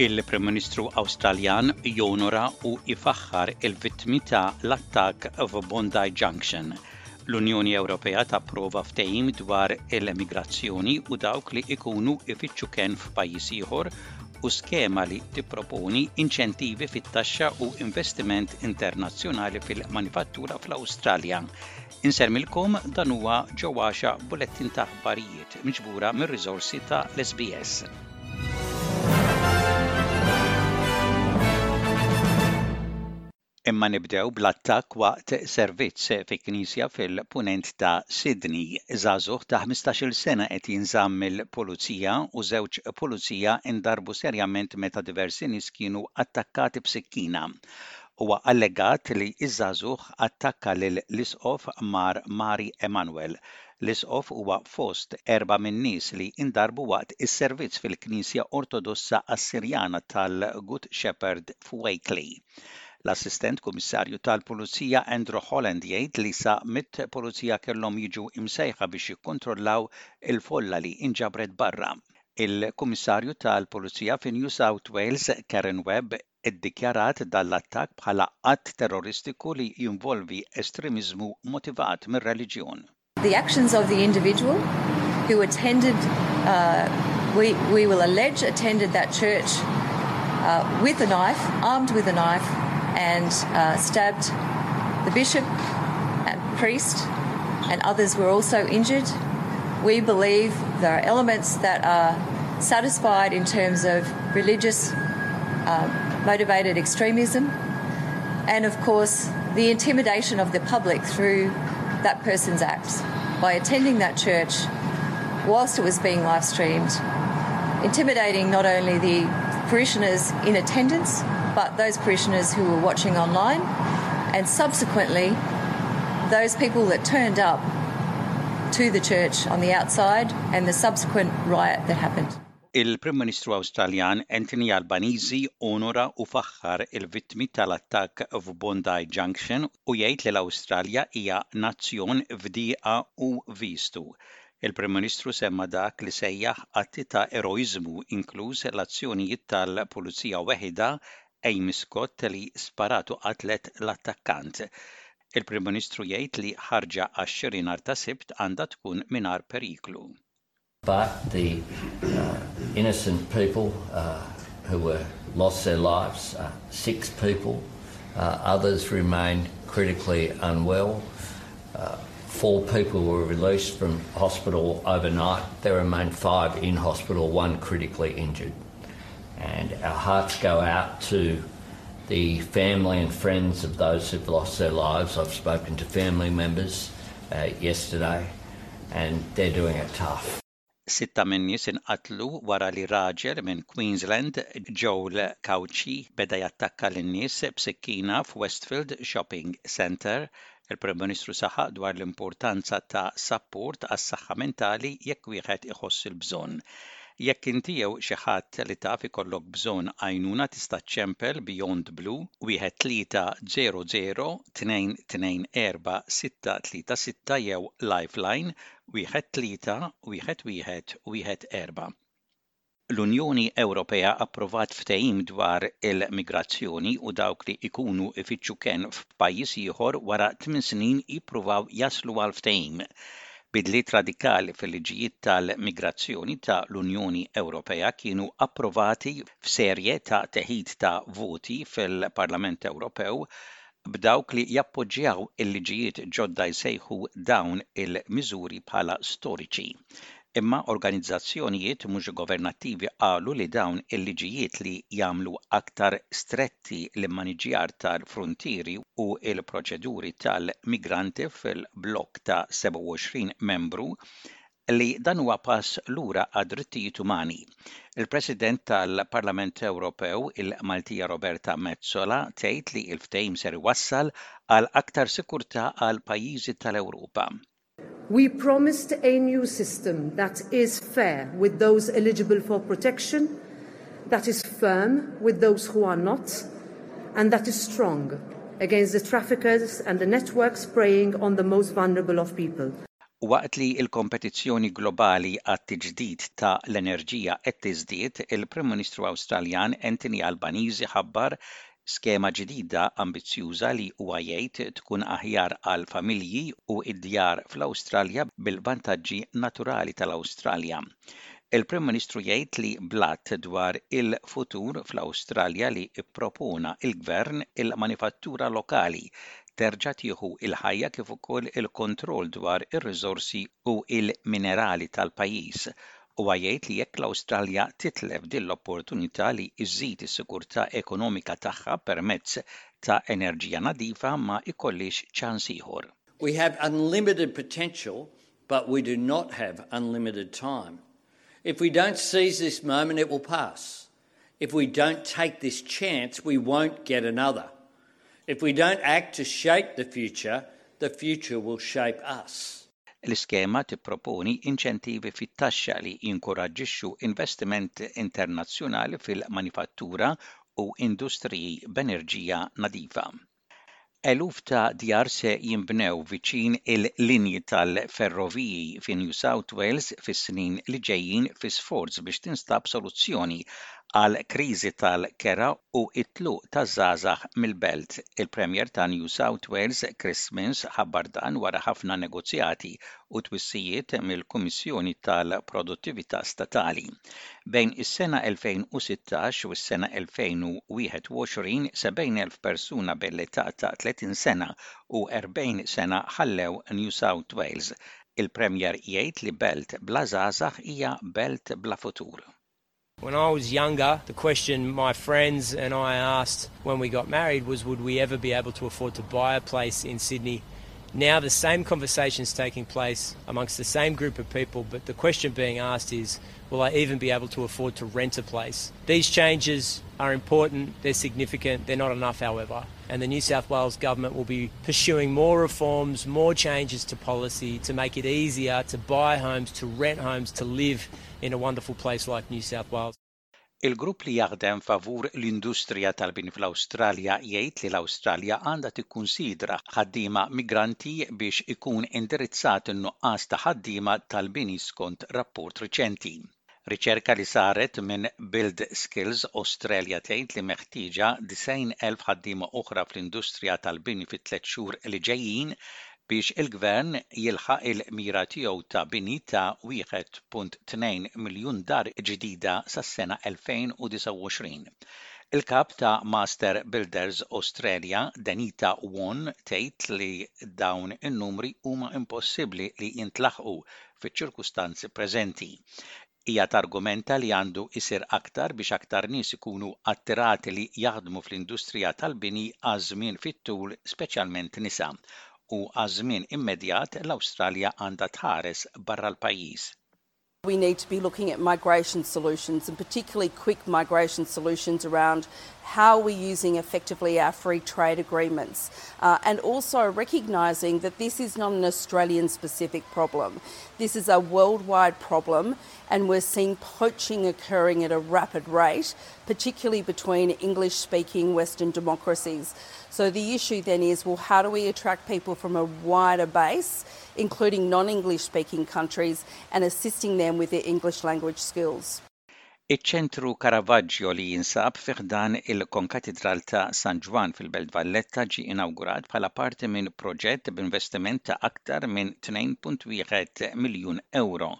Il-Prim Ministru Awstraljan jonora u ifaħħar il-vittmi ta' l-attakk f'Bondi Junction. L-Unjoni Ewropea tapprova ftehim dwar il-emigrazzjoni u dawk li ikunu ifittxu kenn f'pajjiż ieħor u skema li tipproponi inċentivi fit-taxxa u investiment internazzjonali fil-manifattura fl-Awstralja. Insellmilkom dan huwa Joe Axiaq b'bulettin ta' aħbarijiet miġbura mir-riżorsi ta' l-SBS. Imma nibdew bl-attakk waqt servizz fi knisja fil-Punent ta' Sydney. Żagħżugħ ta' 15-il sena qed jinżamm mill-Pulizija u żewġ pulizija ndarbu serjament meta diversi nies kienu attakkati b'sikkina. Huwa allegat li ż-żagħżugħ attakka lil l-Isqof Mar Mari Emanuel. L-Isqof huwa fost erbgħa min-nies li ndarbu waqt is-servizz fil-Knisja Ortodossa Assirjana tal-Good Shepherd f'Wakeley. L-Assistent Kummissarju tal-Pulizija Andrew Holland jgħid li sa mitt pulizija kellhom jiġu imsejħa biex jikkontrollaw il-folla li inġabret barra. Il-Kummissarju tal-Pulizija fi New South Wales Karen Webb iddikjarat dan l-attakk bħala att terroristiku li jinvolvi estremiżmu motivat mir-reliġjon. The actions of the individual who attended, uh, we, we will allege attended that church uh, with a knife, armed with a knife, and uh, stabbed the bishop and priest, and others were also injured. We believe there are elements that are satisfied in terms of religious uh, motivated extremism, and of course, the intimidation of the public through that person's acts by attending that church whilst it was being live streamed, intimidating not only the parishioners in attendance, but those parishioners who were watching online, and subsequently those people that turned up to the church on the outside and the subsequent riot that happened. Il-Prim Ministru Awstraljan Anthony Albanese onora u faħħar il-vittmi tal-attakk f'Bondi Junction u jgħid li l-Awstralja hija nazzjon f'dieqa u vistu. Il-Prim Ministru semma dak li sejjaħ atti ta' eroiżmu inkluż l-azzjonijiet tal-pulizija weħidha Amy Scott li sparat u qatlet l-attakkant. Il-Prim Ministru jgħid li ħarġa għax-xiri nhar ta' Sibt għandha tkun mingħajr periklu. But the uh, innocent people uh, who were lost their lives, uh, six people, uh, others remain critically unwell. Uh, four people were released from hospital overnight. There remain five in hospital, one critically injured. And our hearts go out to the family and friends of those who've lost their lives. I've spoken to family members uh, yesterday and they're doing it tough. Sitta min-nies inqatlu wara li raġel minn Queensland, Joel Cauchi, beda jattakka lin-nies b'sikkina f'Westfield Shopping Centre. Il-Prim Ministru saħaq dwar l-importanza ta' sapport għas-saħħa mentali jekk wieħed iħoss il-bżonn. Jekk inti jew xi ħadd li taf ikollok bżonn għajnuna tista' ċċempel Beyond Blue 1300 224 636 jew Lifeline 1 3 1 1 1 4. L-Unjoni Ewropea approvat ftehim dwar il-migrazzjoni u dawk li jkunu jfittxu kenn f'pajjiż ieħor wara tmien snin jippruvaw jaslu għal ftehim. Bidliet radikali fil-liġijiet tal-migrazzjoni ta' l-Unjoni Ewropea kienu approvati f'serje ta' teħid ta' voti fil-Parlament Ewropew b'dawk li jappoġġjaw il-liġijiet ġodda jsejħu dawn il-miżuri bħala storiċi. Imma organizzazzjonijiet mhux governattivi qalu li dawn il-liġijiet li jagħmlu aktar stretti l-immaniġjar tal-fruntieri u l-proċeduri tal-migranti fil-blokk ta' 27 membru li dan huwa pass lura għad-drittijiet umani. Il-President tal-Parlament Ewropew, il-Maltija Roberta Metsola, tgħid li l-ftehim ser iwassal għal aktar sikurtà għal pajjiżi tal-Ewropa. We promised a new system that is fair with those eligible for protection, that is firm with those who are not, and that is strong against the traffickers and the networks preying on the most vulnerable of people. Waqt li l-kompetizzjoni globali għat-tiġdid ta' l-enerġija qed tiżdied, il-Prim Ministru Awstraljan Anthony Albanese ħabbar skema ġdida ambizzjuża li huwa jgħid tkun aħjar għall-familji u d-djar fl-Awstralja bil-vantaġġi naturali tal-Awstralja. Il-Prim Ministru jgħid li bl-Att dwar il-Futur fl-Awstralja li ppropona l-Gvern, il-manifattura lokali terġa' tieħu l-ħajja kif ukoll il-kontroll dwar ir-riżorsi u l-minerali tal-pajjiż. Huwa jgħid li jekk l-Awstralja titlef din l-opportunità li żżid is-sigurtà ekonomika tagħha permezz ta' enerġija nadifa ma jkollhiex ċans ieħor. We have unlimited potential but we do not have unlimited time. If we don't seize this moment it will pass. If we don't take this chance, we won't get another. If we don't act to shape the future, the future will shape us. L-iskema tipproponi inċentivi fit-taxxa li jinkoraġġixxu investiment internazzjonali fil-manifattura u industriji b'enerġija nadifa. Eluf ta' djar se jinbnew viċin il-linji tal-ferroviji fi New South Wales fis-snin li ġejjin fi sforz biex tinstab soluzzjoni għall-kriżi tal-kera u t-tluq taż-żgħażagħ mill-belt. Il-Premier ta' New South Wales Chris Minns ħabbar dan wara ħafna negozjati u twissijiet mill-Kummissjoni tal-Produttività Statali. Bejn is-sena 2016 u s-sena 2021, 70,000 persuna bejn l-età ta' 30 sena u 40 sena ħallew New South Wales. Il-Premier jgħid li belt bla żgħażagħ hija belt bla futur. When I was younger, the question my friends and I asked when we got married was would we ever be able to afford to buy a place in Sydney? Now the same conversation is taking place amongst the same group of people, but the question being asked is, will I even be able to afford to rent a place? These changes are important, they're significant, they're not enough, however. And the New South Wales government will be pursuing more reforms, more changes to policy to make it easier to buy homes, to rent homes, to live in a wonderful place like New South Wales. Il-grupp li jaħdem favur l-industrija tal-bini fl-Awstralja jgħid li l-Awstralja għandha tikkunsidra ħaddiema migranti biex ikun indirizzat in-nuqqas ta' ħaddiema tal-bini skont rapport riċenti. Riċerka li saret minn Build Skills Australia tgħid li meħtieġa 90,000 ħaddiema oħra fl-industrija tal-bini fit-tliet xhur li ġejjin biex il-Gvern jilħaq il-mira tiegħu ta' bini ta' 1.2 miljun dar ġdida sas-sena 2029. Il-Kap ta' Master Builders Australia, Denita Wawn, tgħid li dawn in-numri huma impossibbli li jintlaħqu fiċ-ċirkustanzi preżenti. Hija targumenta li għandu jsir aktar biex aktar nies ikunu attirati li jaħdmu fl-industrija tal-bini għaż-żmien fit-tul speċjalment nisa, u għaż-żmien immedjat l-Awstralja għandha tħares barra l-pajjiż. We need to be looking at migration solutions and particularly quick migration solutions around how we're using effectively our free trade agreements uh, and also recognising that this is not an Australian specific problem. This is a worldwide problem and we're seeing poaching occurring at a rapid rate, particularly between English speaking Western democracies. So the issue then is well, how do we attract people from a wider base, including non English speaking countries, and assisting them with their English language skills? Iċ-Ċentru Caravaggio li jinsab fi ħdan il-Konkatidral ta' San Ġwann fil-Belt Valletta ġie inawgurat bħala parti minn proġett b'investiment ta' aktar minn 2.1 miljun ewro,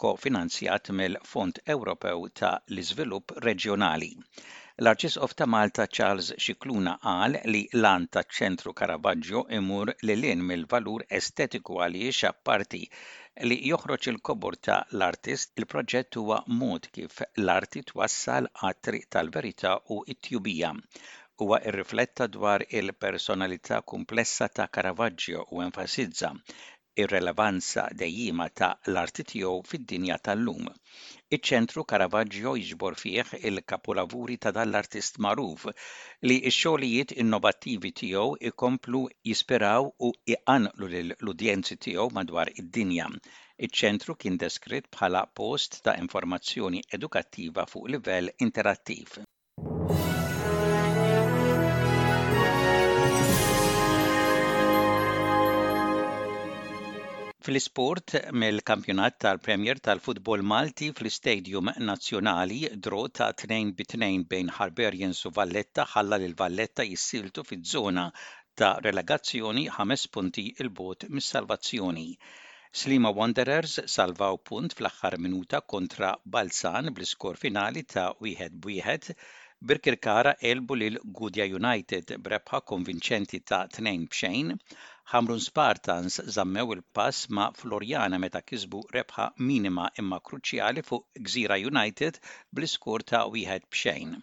kofinanzjat mill-Fond Ewropew ta' l-Iżvilupp Reġjonali. L-Arċisqof ta' Malta Charles Scicluna qal li l-għan taċ-Ċentru Caravaggio imur lil hinn mill-valur estetiku għaliex apparti li joħroġ il-kobor ta' l-artist, il-proġett huwa mod kif l-arti twassal għat-triq tal-verità u t-tjubija. Huwa rrifletta dwar il-personalità kumplessa ta' Caravaggio u enfasizza r-relevanza dejjiema ta' l-arti tiegħu fid-dinja tal-lum. Iċ-Ċentru Caravaggio jiġbor fih il-kapulavuri ta' dan l-artist magħruf, li x-xogħlijiet innovattivi tiegħu jkomplu jispiraw u jqanqlu lill-udjenzi tiegħu madwar id-dinja. Iċ-ċentru kien deskritt bħala post ta' informazzjoni edukattiva fuq livell interattiv. Fl-isport, mill-Kampjonat tal-Premier tal-Futbol Malti fl-Istadium Nazzjonali, draw ta' 2 bi 2 bejn Hibernians u Valletta ħalla lil Valletta jissieltu fiż-żona ta' relegazzjoni ħames punti 'l bogħod mis-salvazzjoni. Sliema Wanderers salvaw punt fl-aħħar minuta kontra Balzan bl-iskor finali ta' wieħed b'wieħed. Birkirkara għelbu lil Gudja United b'rebħa konvinċenti ta' tnejn b'xejn. Ħamrun Spartans żammew il-pass ma' Floriana meta kisbu rebħa minima imma kruċjali fuq Gżira United bl-iskor ta' wieħed b'xejn.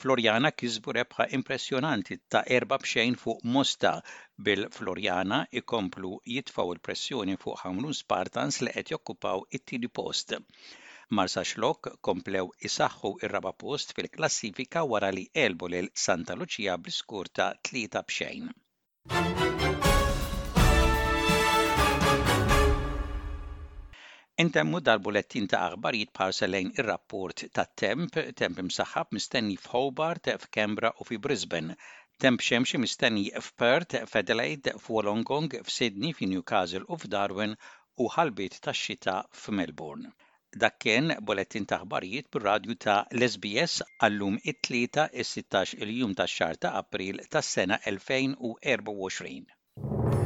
Floriana kisbu rebħa impressjonanti ta' erba' b'xejn fuq Mosta, bil-Floriana jkomplu jitfgħu l-pressjoni fuq Ħamrun Spartans li qed jokkupaw it-tieni post. Marsaxlokk komplew isaħħu r-raba' post fil-klassifika wara li għelbu lil Santa Lucia bl-iskur ta' 3 b'xejn. Intemmu dal-bulettin ta' aħbarijiet b'ħarsa lejn ir-rapport tat-temp, temp imsaħħab mistenni f'Hobart, f'Canberra u fi Brisbane. Temp xemxi mistenni f'Perth, f'Adelaide, f'Wollongong, f'Sydney, fi Newcastle u f'Darwin u ħalbiet tax-xita f'Melbourne. Dak kien bulettin ta' aħbarijiet bir-radju ta' l-SBS għal-lum it-Tlieta is-16 il-jum tax-xahar ta' April tas-sena 2024.